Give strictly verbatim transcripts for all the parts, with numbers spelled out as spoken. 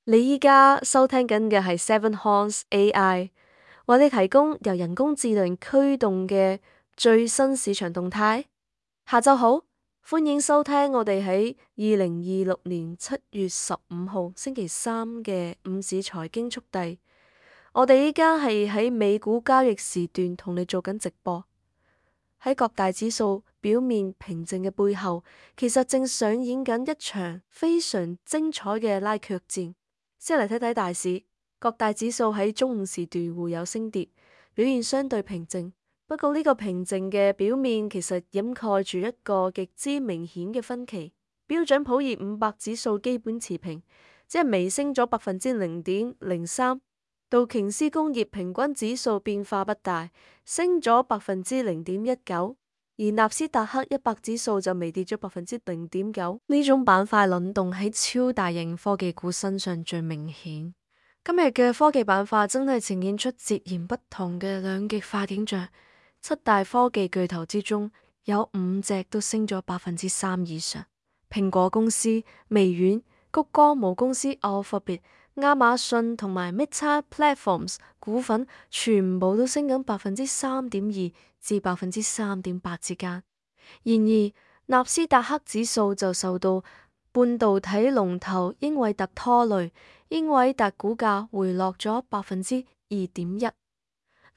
你依家收聽緊嘅係 Seven Horns A I，為你提供由人工智能驅動嘅最新市場動態。下晝好，歡迎收聽我哋喺二零二六年七月十五號星期三嘅午市財經速遞。我哋依家係喺美股交易時段同你做緊直播。喺各大指數表面平靜嘅背後，其實正上演緊一場非常精彩嘅拉鋸戰。先嚟睇睇大市，各大指數喺中午時段互有升跌，表現相對平靜。不過呢個平靜嘅表面其實掩蓋住一個極之明顯嘅分歧。標準普爾五百指數基本持平，只係微升咗百分之零點零三。道瓊斯工業平均指數變化不大，升咗百分之零點一九。而納斯達克一百指數就微跌咗百分之零點九，呢種板塊輪動喺超大型科技股身上最明顯。今日嘅科技板塊真係呈現出截然不同嘅兩極化景象。七大科技巨頭之中，有五隻都升咗百分之三以上。蘋果公司、微軟、谷歌母公司 Alphabet、亞馬遜同埋 Meta Platforms 股份全部都升緊百分之三點二至百分之三點八之間。然而，納斯達克指數就受到半導體龍頭英偉達拖累，英偉達股價回落咗百分之二點一。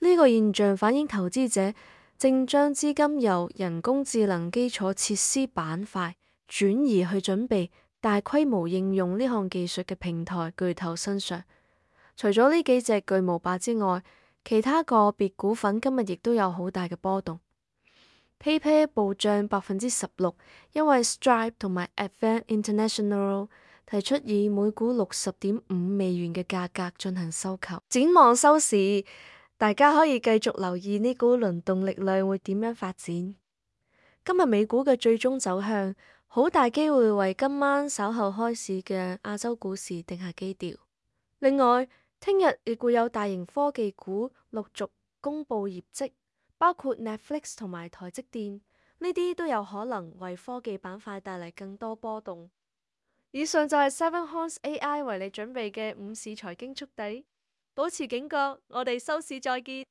呢個現象反映投資者正將資金由人工智能基礎設施板塊轉移去準備大規模應用呢項技術嘅平台巨頭身上。除咗呢幾隻巨無霸之外，其他個別股份今日亦都有好大嘅波動。PayPal 暴漲百分之十六，因為 Stripe 同埋 Advent International 提出以每股六十點五美元嘅價格進行收購。展望收市，大家可以繼續留意呢股輪動力量會點樣發展。今日美股嘅最終走向，好大機會為今晚稍後開市嘅亞洲股市定下基調。另外，聽日亦會有大型科技股陸續公布業績，包括 Netflix 同埋台積電，呢啲都有可能為科技板塊帶嚟更多波動。以上就係 Seven Horns A I 為你準備嘅午市財經速遞，保持警覺，我哋收市再見。